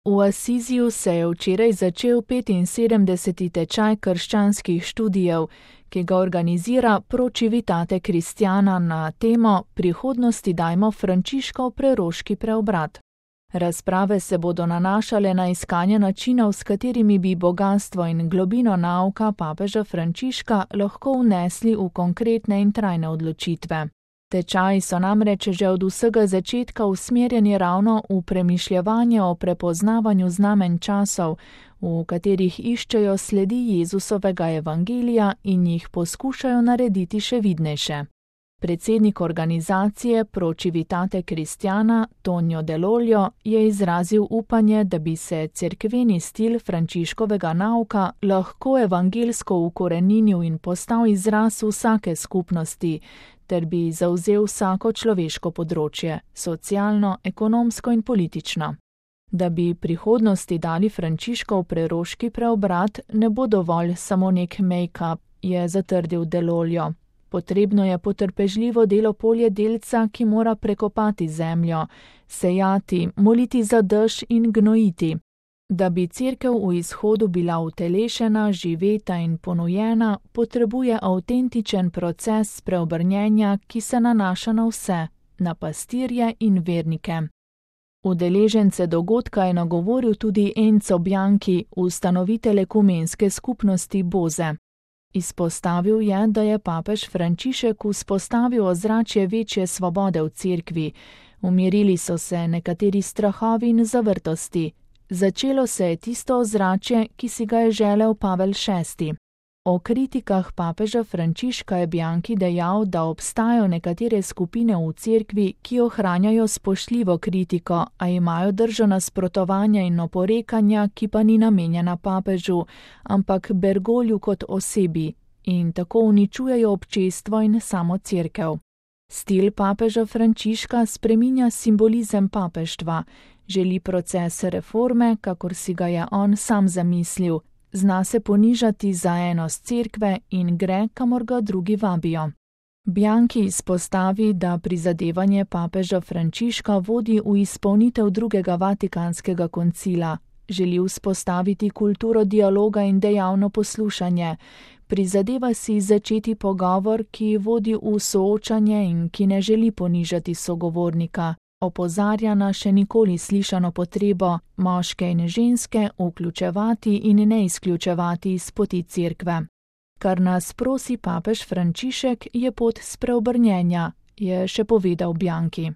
V Asiziju se je včeraj začel 75. tečaj krščanskih študijev, ki ga organizira Pro Civitate Cristiana na temo Prihodnosti dajmo Frančiškov preroški preobrat. Razprave se bodo nanašale na iskanje načinov, s katerimi bi bogastvo in globino nauka papeža Frančiška lahko vnesli v konkretne in trajne odločitve. Tečaji so namreč že od vsega začetka usmerjeni ravno v premišljevanje o prepoznavanju znamenj časov, v katerih iščejo sledi Jezusovega evangelija in jih poskušajo narediti še vidnejše. Predsednik organizacije Pro Civitate Cristiana Tonio Dell'Olio je izrazil upanje, da bi se cerkveni stil Frančiškovega nauka lahko evangelsko ukoreninil in postal izraz vsake skupnosti, ter bi zavzel vsako človeško področje, socialno, ekonomsko in politično. Da bi prihodnosti dali Frančiškov preroški preobrat, ne bo dovolj samo nek make-up, je zatrdil Dell'Olio. Potrebno je potrpežljivo delo poljedelca, ki mora prekopati zemljo, sejati, moliti za dež in gnojiti. Da bi cerkev v izhodu bila utelešena, živeta in ponujena, potrebuje avtentičen proces preobrnjenja, ki se nanaša na vse, na pastirje in vernike. Udeležence dogodka je nagovoril tudi Enzo Bianchi, ustanovitelj ekumenske skupnosti Boze. Izpostavil je, da je papež Frančišek vzpostavil ozračje večje svobode v cerkvi, umirili so se nekateri strahovi in zavrtosti. Začelo se je tisto ozračje, ki si ga je želel Pavel VI. O kritikah papeža Frančiška je Bianchi dejal, da obstajajo nekatere skupine v cerkvi, ki ohranjajo spoštljivo kritiko, a imajo držo nasprotovanja in oporekanja, ki pa ni namenjena papežu, ampak Bergolju kot osebi, in tako uničujejo občestvo in samo cerkev. Stil papeža Frančiška spreminja simbolizem papeštva, želi proces reforme, kakor si ga je on sam zamislil, zna se ponižati za enost cerkve in gre, kamor ga drugi vabijo. Bianchi izpostavi, da prizadevanje papeža Frančiška vodi v izpolnitev drugega Vatikanskega koncila, želi vzpostaviti kulturo dialoga in dejavno poslušanje, prizadeva si začeti pogovor, ki vodi v soočanje in ki ne želi ponižati sogovornika. Opozarja na še nikoli slišano potrebo moške in ženske vključevati in ne izključevati iz poti cerkve. Kar nas prosi papež Frančišek, je pot spreobrnjenja, je še povedal Bianchi.